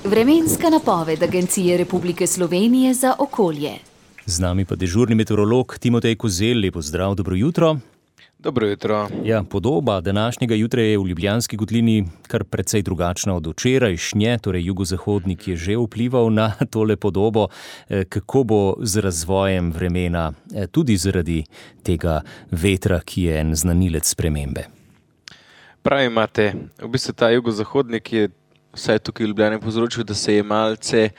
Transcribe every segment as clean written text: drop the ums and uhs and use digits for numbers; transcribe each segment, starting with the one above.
Vremenska napoved Agencije Republike Slovenije za okolje. Z nami pa dežurni meteorolog Timotej Kozelj. Lep pozdrav, dobro jutro. Dobro jutro. Ja, podoba današnjega jutra je v Ljubljanski kotlini kar precej drugačna od včerajšnje, torej jugozahodnik je že vplival na tole podobo. Kako bo z razvojem vremena, tudi zaradi tega vetra, ki je en znanilec spremembe? Prav imate, v bistvu ta jugozahodnik je vsaj tukaj v Ljubljani povzročil, da se je malce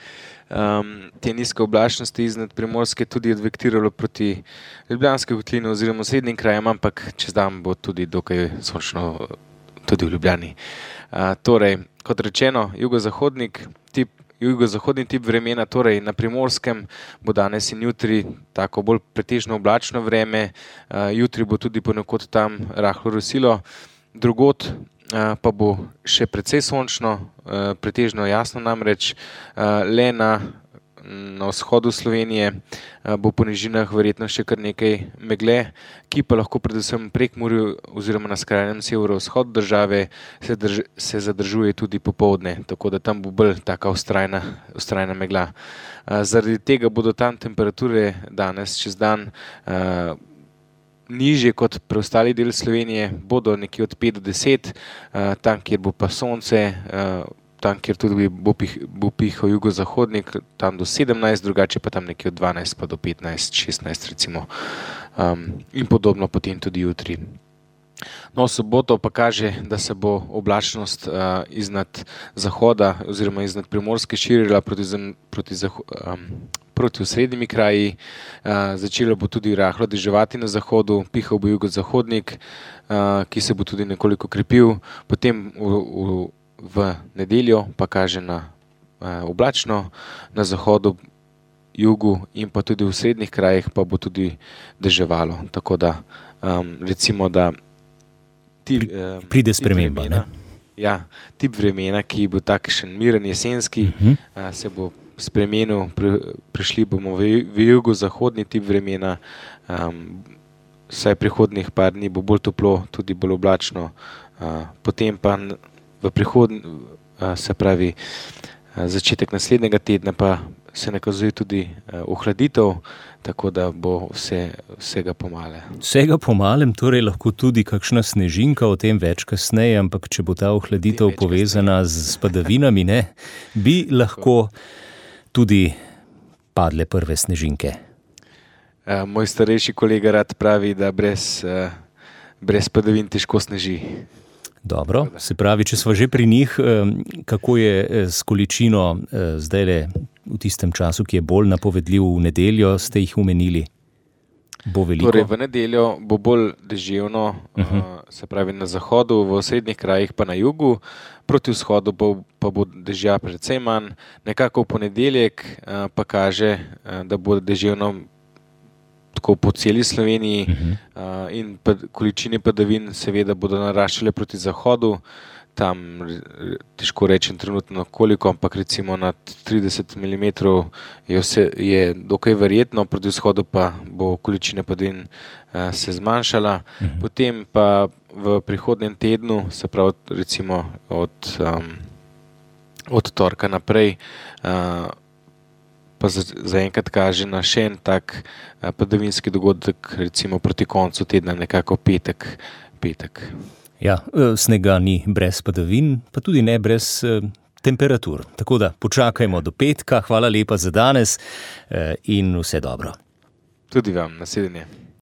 te nizke oblačnosti iznad Primorske tudi odvektiralo proti Ljubljanski kotlini oziroma srednjim krajem, ampak čez dan bo tudi dokaj sončno tudi v Ljubljani. Torej, kot rečeno, jugozahodni tip vremena, torej na Primorskem bo danes in jutri tako bolj pretežno oblačno vreme, jutri bo tudi ponekod tam rahlo rosilo, drugod pa bo še precej sončno, pretežno jasno namreč, le na vzhodu Slovenije bo po nižinah verjetno še kar nekaj megle, ki pa lahko predvsem prek Prekmurju oziroma na skrajnem severovzhodu države se zadržuje tudi popoldne, tako da tam bo bolj taka vztrajna megla. Zaradi tega bodo tam temperature danes čez dan nižje kot preostali del Slovenije, bodo nekje od 5 do 10, tam, kjer bo pa sonce, tam, kjer tudi bo pihal jugozahodnik, tam do 17, drugače pa tam nekje od 12 pa do 15, 16 recimo, in podobno potem tudi jutri. No, soboto pa kaže, da se bo oblačnost iznad zahoda oziroma iznad Primorske širila proti osrednjimi kraji, začelo bo tudi rahlo deževati na zahodu, pihal bo jugozahodnik, ki se bo tudi nekoliko krepil, potem v nedeljo pa kaže na oblačno, na zahodu, jugu in pa tudi v srednjih krajih pa bo tudi deževalo, tako da recimo, da pride sprememba, ne? Ja, tip vremena, ki bo takšen miren jesenski, se bo spremenil, prišli bomo v jugozahodni tip vremena, vsaj prihodnjih par dni bo bolj toplo, tudi bolj oblačno, potem pa se pravi začetek naslednjega tedna pa se nakazuje tudi ohladitev, tako da bo vsega pomale. Vsega pomalem, torej lahko tudi kakšna snežinka, o tem več kasneje, ampak če bo ta ohladitev povezana z padavinami, ne, bi lahko tudi padle prve snežinke. Moj starejši kolega rad pravi, da brez padavin težko sneži. Dobro, se pravi, če smo že pri njih, kako je s količino zdajle v tistem času, ki je bolj napovedljiv, v nedeljo ste jih omenili? Bo veliko? Torej, v nedeljo bo bolj deževno, se pravi na zahodu, v srednjih krajih pa na jugu, proti vzhodu pa bo dežja precej manj, nekako v ponedeljek pa kaže, da bo deževno tako po celi Sloveniji, in količine padavin seveda bodo naraščale proti zahodu, tam težko rečem trenutno koliko, ampak recimo nad 30 mm je dokaj verjetno, proti vzhodu pa bo količina padavin se zmanjšala, potem pa v prihodnjem tednu, se pravi recimo od torka naprej, pa zaenkrat kaže na še en tak padavinski dogodek, recimo proti koncu tedna, nekako petek. Ja, snega ni brez padavin, pa tudi ne brez temperatur. Tako da počakajmo do petka. Hvala lepa za danes in vse dobro. Tudi vam, nasvidenje.